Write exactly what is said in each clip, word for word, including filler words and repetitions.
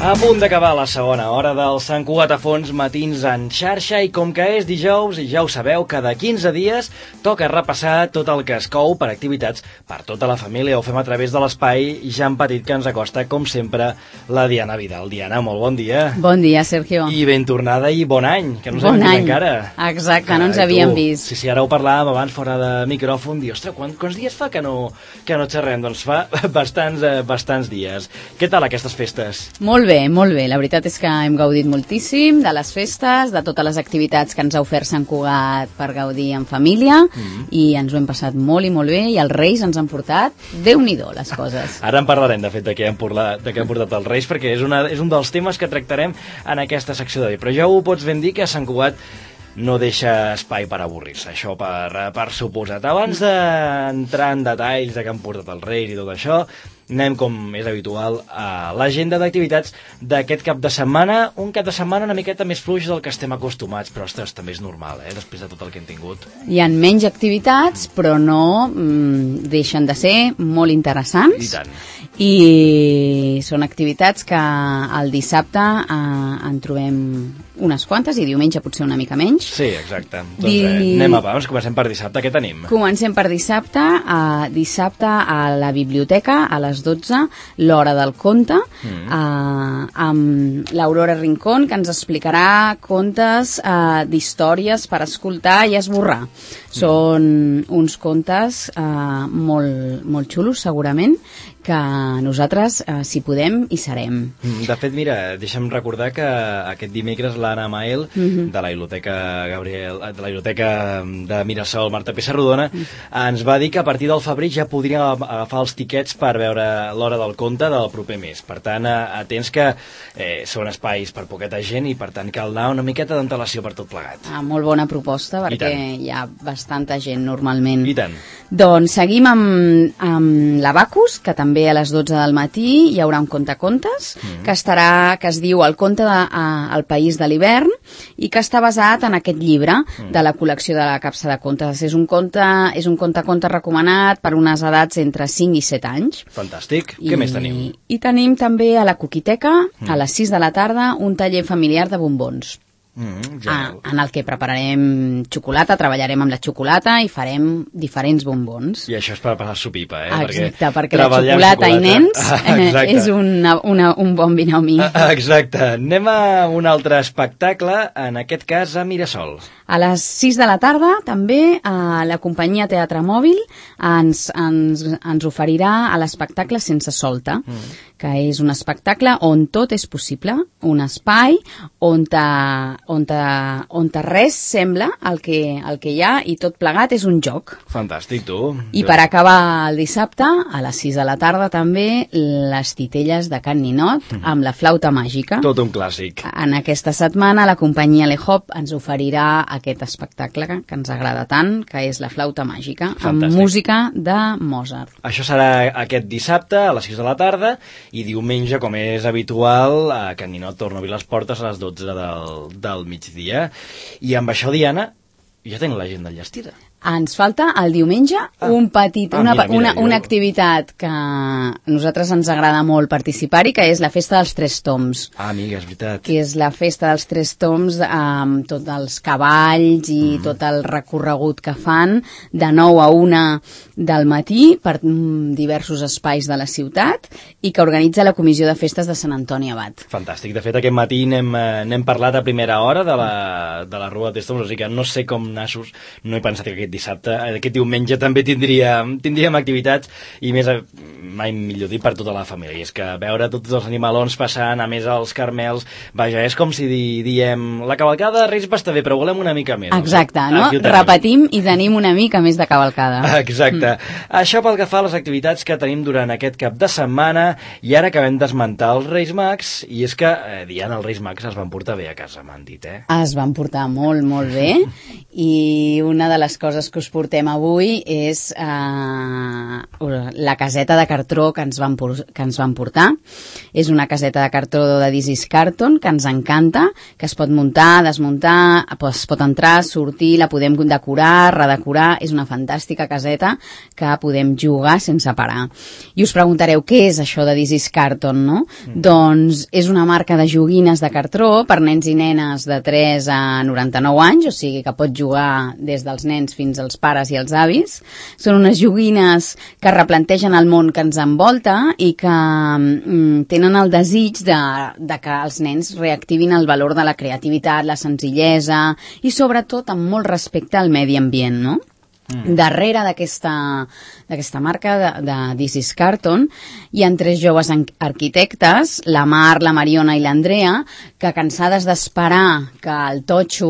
A punt d'acabar la segona hora del Sant Cugat a Fons Matins en xarxa i com que és dijous, i ja ho sabeu, cada quinze dies toca repassar tot el que es cou per activitats per tota la família. Ho fem a través de l'espai Jan Petit que ens acosta, com sempre, la Diana Vidal. Diana, molt bon dia. Bon dia, Sergio. I ben tornada i bon any, que no ens bon hem vist any. encara. Exacte, Carai, no ens tu. havíem vist. Sí, sí, ara ho parlàvem abans fora de micròfon, dir, ostres, quants, quants dies fa que no, que no xerrem? Doncs fa bastants, eh, bastants dies. Què tal aquestes festes? Molt bé, molt bé. La veritat és que hem gaudit moltíssim de les festes, de totes les activitats que ens ha ofert Sant Cugat per gaudir en família, mm-hmm. i ens ho hem passat molt i molt bé, i els Reis ens han portat Déu-n'hi-do les coses. Ara en parlarem, de fet, de què han portat, de què han portat els Reis, perquè és, una, és un dels temes que tractarem en aquesta secció d'avui. Però ja ho pots ben dir que Sant Cugat no deixa espai per avorrir-se, això per, per suposat. Abans d'entrar en detalls de què han portat els Reis i tot això, anem, com és habitual, a l'agenda d'activitats d'aquest cap de setmana. Un cap de setmana una miqueta més fluix del que estem acostumats, però ostres, també és normal, eh, després de tot el que hem tingut. Hi ha menys activitats, però no mm, deixen de ser molt interessants. I tant. I són activitats que el dissabte eh, en trobem unes quantes i diumenge potser una mica menys. Sí, exacte. Doncs Di... eh, anem a vamos, comencem per dissabte. Què tenim? Comencem per dissabte. Uh, dissabte a la biblioteca, a les dotze, l'hora del conte, mm. uh, amb l'Aurora Rincón, que ens explicarà contes uh, d'històries per escoltar i esborrar. Mm. Són uns contes uh, molt, molt xulos, segurament, que nosaltres, eh, si podem, hi serem. De fet, mira, deixa'm recordar que aquest dimecres l'Anna Mael, mm-hmm. de la Biblioteca Gabriel, de la Biblioteca de Mirasol, Marta Pessarrodona, mm. ens va dir que a partir del febrer ja podria agafar els tiquets per veure l'hora del conte del proper mes. Per tant, atents que eh, són espais per poqueta gent i per tant cal anar una miqueta d'antelació per tot plegat. Ah, molt bona proposta, perquè hi ha bastanta gent normalment. I tant. Doncs seguim amb, amb l'Abacus, que també a les dotze del matí hi haurà un contacontes, mm. que estarà, que es diu El conte de, a, El país de l'hivern, i que està basat en aquest llibre mm. de la col·lecció de la Capsa de Contes. És un conte, és un contaconte recomanat per unes edats entre cinc i set anys. Fantàstic. I, què més tenim? I tenim també a la Coquiteca, mm. a les sis de la tarda, un taller familiar de bombons. Mm, ah, en el que prepararem xocolata, treballarem amb la xocolata i farem diferents bombons. I això és per passar-s'ho pipa, eh? Exacte, perquè, perquè la xocolata, xocolata i nens ah, és una, una, un bon binomi. Ah, exacte. Anem a un altre espectacle, en aquest cas a Mirasol. A les sis de la tarda, també, a la companyia Teatre Mòbil ens, ens, ens oferirà l'espectacle Sense Solta, mm. que és un espectacle on tot és possible, un espai on, ta, on, ta, on ta res sembla el que, el que hi ha i tot plegat és un joc. Fantàstic, tu. I jo... per acabar el dissabte, a les sis de la tarda també, les titelles de Can Ninot mm. amb la flauta màgica. Tot un clàssic. En aquesta setmana la companyia Le Hop ens oferirà aquest espectacle que ens agrada tant, que és la flauta màgica, Fantàstic. Amb música de Mozart. Això serà aquest dissabte a les sis de la tarda i diumenge, com és habitual, a Can Ninot torna a obrir les portes a les dotze del, del migdia. I amb això, Diana, ja tenim l'agenda enllestida. Ens falta el diumenge ah. un petit, ah, una, mira, mira, una, jo... una activitat que a nosaltres ens agrada molt participar-hi, que és la Festa dels Tres Toms. Ah, amiga, és veritat. Que és la Festa dels Tres Toms amb tots els cavalls i mm. tot el recorregut que fan de nou a una del matí per diversos espais de la ciutat i que organitza la Comissió de Festes de Sant Antoni Abat. Fantàstic. De fet, aquest matí n'hem, n'hem parlat a primera hora de la, de la Rua de Tres Toms, o sigui que no sé com nassos, no he pensat que aquest dissabte, aquest diumenge també tindríem, tindríem activitats i més, mai millor dir, per tota la família. I és que veure tots els animalons passant, a més els carmels, vaja, és com si di, diem la cavalcada de Reis va estar bé, però volem una mica més. Exacte, no? Repetim i tenim una mica més de cavalcada. Exacte. Mm. Això pel que fa a les activitats que tenim durant aquest cap de setmana i ara acabem d'esmentar els Reis Mags i és que, eh, Diana, els Reis Mags es van portar bé a casa, m'han dit, eh? Es van portar molt, molt bé i una de les coses que us portem avui és eh, la caseta de cartó cartró que ens van, que ens van portar. És una caseta de cartró de This is Carton, que ens encanta, que es pot muntar, desmuntar, es pot entrar, sortir, la podem decorar, redecorar. És una fantàstica caseta que podem jugar sense parar. I us preguntareu, què és això de This is Carton, no? Mm. Doncs és una marca de joguines de cartró per nens i nenes de tres a noranta-nou anys, o sigui que pot jugar des dels nens fins als pares i els avis. Són unes joguines que replantegen el món que ens envolta i que mm, tenen el desig de, de que els nens reactivin el valor de la creativitat, la senzillesa i sobretot amb molt respecte al medi ambient, no? Mm. Darrere d'aquesta d'aquesta marca de, de This is Carton hi ha tres joves arquitectes, la Mar, la Mariona i l'Andrea, que cansades d'esperar que el totxo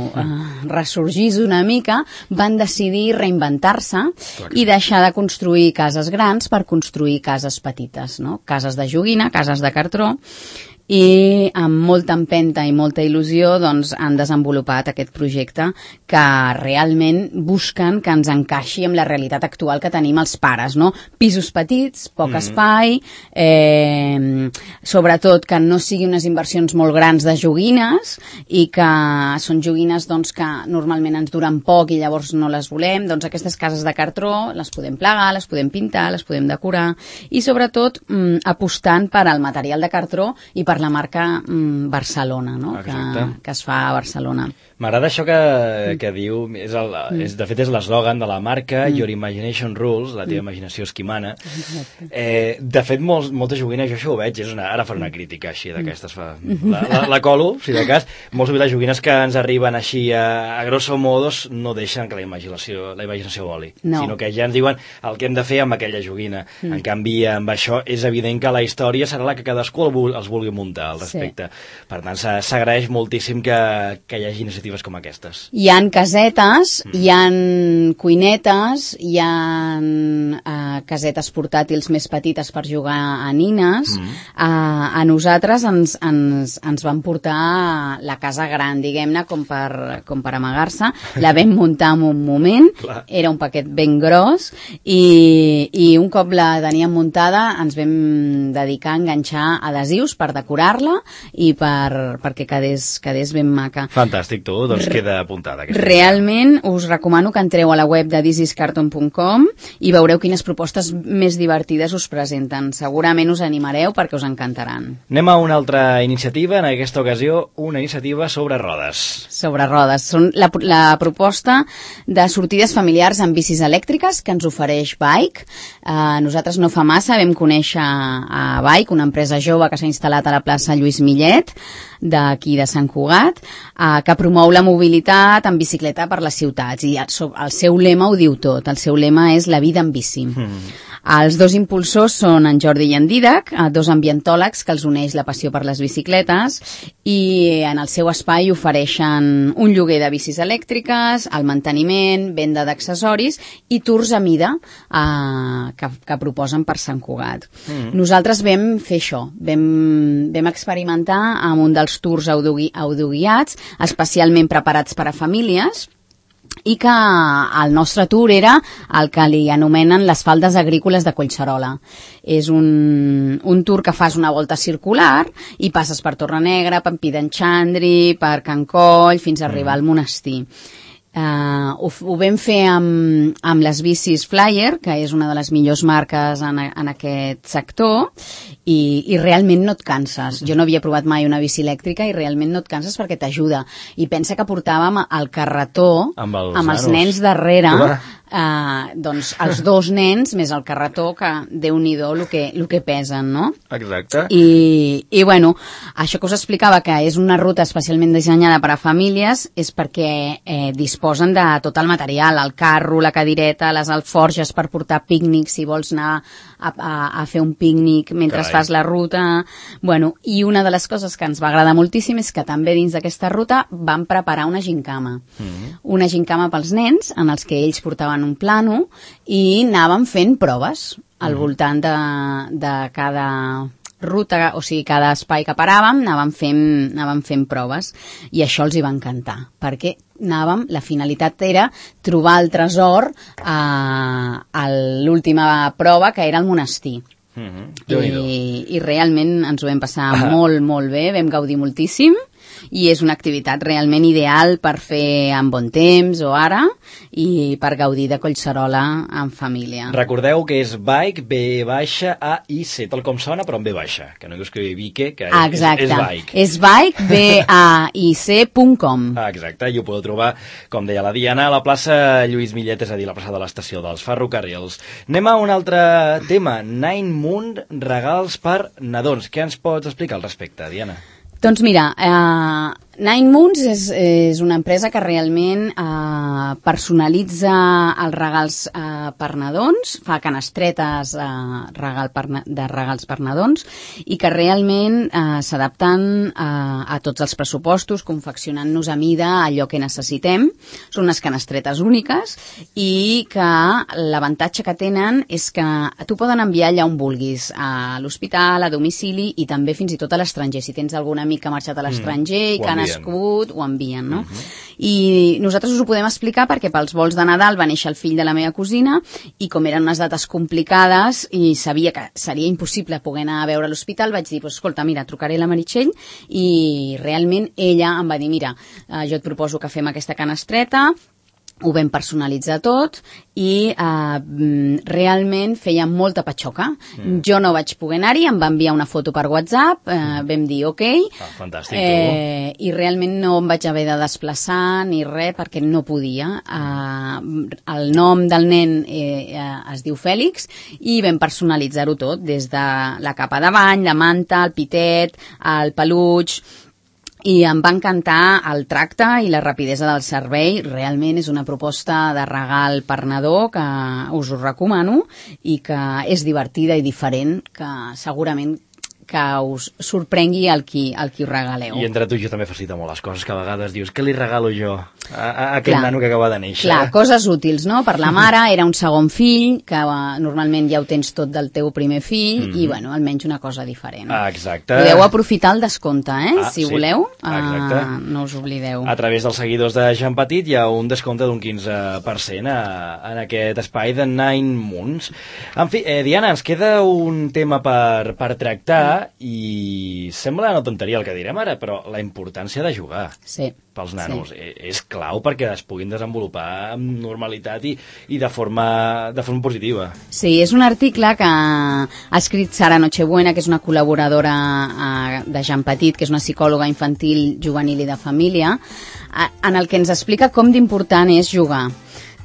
eh, ressorgís una mica, van decidir reinventar-se i deixar de construir cases grans per construir cases petites, no? Cases de joguina, cases de cartró, i amb molta empenta i molta il·lusió doncs, han desenvolupat aquest projecte que realment busquen que ens encaixi amb la realitat actual que tenim els pares, no? Pisos petits, poc mm. espai, eh, sobretot que no siguin unes inversions molt grans de joguines i que són joguines doncs, que normalment ens duren poc i llavors no les volem. Doncs aquestes cases de cartró les podem plegar, les podem pintar, les podem decorar i sobretot mm, apostant per al material de cartró i per la marca mm, Barcelona, no? que, que es fa a Barcelona. M'agrada això que, que diu, és el, és, de fet és l'eslògan de la marca, mm. Your Imagination Rules, la teva imaginació és qui mana. Eh, de fet, molts, moltes joguines, jo això ho veig, és una, ara faré una crítica així d'aquestes, la, la, la colo, si de cas, molts de les joguines que ens arriben així a, a grosso modos no deixen que la imaginació, la imaginació voli, no. sinó que ja ens diuen el que hem de fer amb aquella joguina. Mm. En canvi, amb això és evident que la història serà la que cadascú els vulgui muntar al respecte. Sí. Per tant, s'agraeix moltíssim que, que hi hagi iniciatives com aquestes. Hi ha casetes, mm. hi ha cuinetes, hi ha uh, casetes portàtils més petites per jugar a nines. Mm. Uh, a nosaltres ens, ens, ens van portar la casa gran, diguem-ne, com per, com per amagar-se. La vam muntar en un moment, era un paquet ben gros, i, i un cop la teníem muntada ens vam dedicar a enganxar adhesius per decorar-la i per, perquè quedés, quedés ben maca. Fantàstic, tu. Doncs queda apuntada. Realment us recomano que entreu a la web de this is carton punt com i veureu quines propostes més divertides us presenten. Segurament us animareu perquè us encantaran. Anem a una altra iniciativa, en aquesta ocasió una iniciativa sobre rodes. Sobre rodes. Són la, la proposta de sortides familiars amb bicis elèctriques que ens ofereix Bike. Uh, nosaltres no fa massa vam conèixer a Bike, una empresa jove que s'ha instal·lat a la plaça Lluís Millet, d'aquí de Sant Cugat, eh, que promou la mobilitat en bicicleta per les ciutats i el, el seu lema ho diu tot, el seu lema és la vida en bici. Mm. Els dos impulsors són en Jordi i en Didac, dos ambientòlegs que els uneix la passió per les bicicletes i en el seu espai ofereixen un lloguer de bicis elèctriques, el manteniment, venda d'accessoris i tours a mida eh, que, que proposen per Sant Cugat. Mm. Nosaltres vam fer això, vam, vam experimentar amb un dels tours audiogui, audioguiats, especialment preparats per a famílies, i que el nostre tour era el que li anomenen les faldes agrícoles de Collserola. És un, un tour que fas una volta circular i passes per Torrenegra, per Pidenxandri, per Can Coll, fins a arribar al monestir. Uh, ho, ho vam fer amb, amb les bicis Flyer, que és una de les millors marques en, en aquest sector, i, i realment no et canses. Jo no havia provat mai una bici elèctrica i realment no et canses perquè t'ajuda. I pensa que portàvem el carretó amb els, amb els nens darrere, uh, doncs els dos nens més el carretó, que déu-n'hi-do el que, el que pesen, no? Exacte. I, i bueno, això que us explicava, que és una ruta especialment dissenyada per a famílies, és perquè eh, disposen de tot el material, el carro, la cadireta, les alforges per portar pícnics, si vols anar a, a, a fer un pícnic mentre Carai. fas la ruta. Bueno, i una de les coses que ens va agradar moltíssim és que també dins d'aquesta ruta van preparar una gincama. Mm-hmm. Una gincama pels nens, en els que ells portaven un plano i anaven fent proves al mm-hmm. voltant de, de cada ruta, o sigui, cada espai que paràvem anàvem fent, anàvem fent proves i això els hi va encantar, perquè anàvem, la finalitat era trobar el tresor eh, al l'última prova, que era el monestir. Mm-hmm. I, I realment ens ho vam passar ah. molt, molt bé, vam gaudir moltíssim, i és una activitat realment ideal per fer en bon temps o ara, i per gaudir de Collserola en família. Recordeu que és Bike, B baixa, A, I, C, tal com sona, però amb B baixa, que no dius que Vique, que és, exacte. és, és Bike. És Bike, B A I C punt com. Ah, exacte, i ho podeu trobar, com deia la Diana, a la plaça Lluís Millet, és a dir, la plaça de l'estació dels ferrocarrils. Anem a un altre tema, Nine Moon, regals per nadons. Què ens pots explicar al respecte, Diana? Doncs mira, eh, Nine Moons és, és una empresa que realment eh, personalitza els regals eh, per nadons, fa canastretes eh, regal per, de regals per nadons, i que realment eh, s'adapten eh, a tots els pressupostos, confeccionant-nos a mida allò que necessitem. Són unes canastretes úniques i que l'avantatge que tenen és que tu poden enviar allà on vulguis, a l'hospital, a domicili i també fins i tot a l'estranger. Si tens algun amic que ha marxat a l'estranger mm, i que ha nascut, ho envien, no? Uh-huh. I nosaltres us ho podem explicar perquè pels vols de Nadal va néixer el fill de la meva cosina i com eren unes dates complicades i sabia que seria impossible poder anar a veure l'hospital, vaig dir, pues, escolta, mira, trucaré a la Meritxell, i realment ella em va dir, mira, eh, jo et proposo que fem aquesta canestreta, ho vam personalitzar tot i eh, realment feia molta patxoca. Mm. Jo no vaig poder anar-hi, em va enviar una foto per WhatsApp, eh, mm. vam dir ok, ah, fantàstic, eh, i realment no em vaig haver de desplaçar ni res perquè no podia. Eh, el nom del nen eh, eh, es diu Fèlix i vam personalitzar-ho tot, des de la capa de bany, la manta, el pitet, el peluig, i em va encantar el tracte i la rapidesa del servei. Realment és una proposta de regal per nadó que us ho recomano i que és divertida i diferent, que segurament que us sorprengui el qui, el qui us regaleu. I entre tu i jo també facilita molt les coses, que a vegades dius, què li regalo jo a, a aquell clar, nano que acaba de néixer? Clar, coses útils, no? Per la mare era un segon fill, que uh, normalment ja ho tens tot del teu primer fill, mm-hmm. i bueno, almenys una cosa diferent. Ah, exacte. Podeu aprofitar el descompte, eh? Ah, si sí. voleu, uh, no us oblideu. A través dels seguidors de Jean Petit hi ha un descompte d'un quinze per cent a, en aquest espai de Nine Moons. En fi, eh, Diana, ens queda un tema per, per tractar, i sembla una tonteria el que direm ara, però la importància de jugar sí, pels nanos sí. és clau perquè es puguin desenvolupar amb normalitat i, i de, forma, de forma positiva. Sí, és un article que ha escrit Sara Nochebuena, que és una col·laboradora uh, de Jean Petit, que és una psicòloga infantil, juvenil i de família, uh, en el que ens explica com d'important és jugar.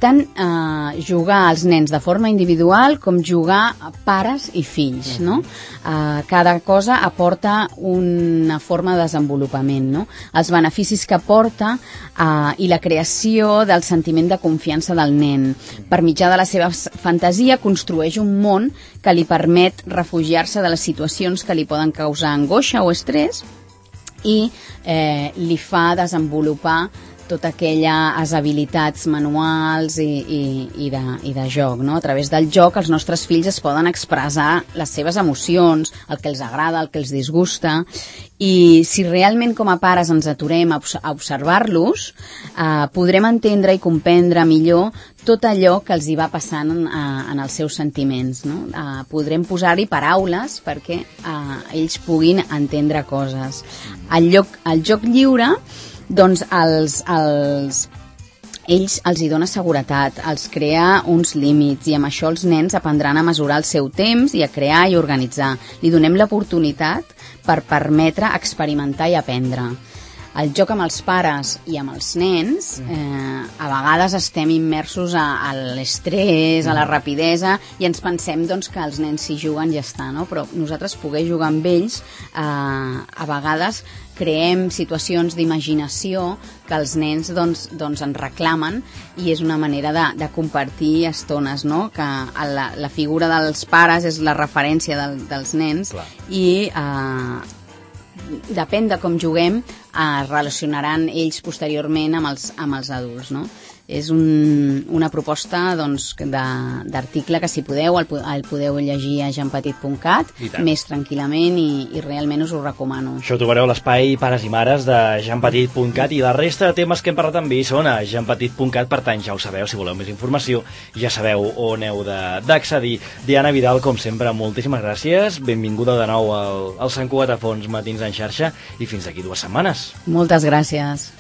Tant eh, jugar als nens de forma individual com jugar a pares i fills, no? Eh, cada cosa aporta una forma de desenvolupament, no? Els beneficis que aporta eh, i la creació del sentiment de confiança del nen. Per mitjà de la seva fantasia construeix un món que li permet refugiar-se de les situacions que li poden causar angoixa o estrès i eh, li fa desenvolupar totes aquelles habilitats manuals i, i, i, de, i de joc, no? A través del joc els nostres fills es poden expressar les seves emocions, el que els agrada, el que els disgusta, i si realment com a pares ens aturem a observar-los, eh, podrem entendre i comprendre millor tot allò que els hi va passant en, en els seus sentiments, no? Eh, podrem posar-hi paraules perquè eh, ells puguin entendre coses. El, lloc, el joc lliure, doncs els, els, ells els hi dona seguretat, els crea uns límits i amb això els nens aprendran a mesurar el seu temps i a crear i organitzar. Li donem l'oportunitat per permetre experimentar i aprendre. El joc amb els pares i amb els nens, eh, a vegades estem immersos a, a l'estrès, a la rapidesa, i ens pensem doncs, que els nens si juguen ja està, no? Però nosaltres poder jugar amb ells, eh, a vegades creem situacions d'imaginació que els nens doncs, doncs ens reclamen i és una manera de, de compartir estones, no? Que la, la figura dels pares és la referència del, dels nens. Clar. I eh, depèn de com juguem, es relacionaran ells posteriorment amb els, amb els adults, no? és un, una proposta doncs, d'article que si podeu el, el podeu llegir a jean petit punt cat més tranquil·lament i, i realment us ho recomano. Això ho trobareu a l'espai Pares i Mares de jean petit punt cat i la resta de temes que hem parlat amb ell són a jean petit punt cat, per tant ja ho sabeu, si voleu més informació ja sabeu on heu d'accedir. Diana Vidal, com sempre, moltíssimes gràcies, benvinguda de nou al, al Sant Cugat a Fons Matins en xarxa i fins d'aquí dues setmanes. Moltes gràcies.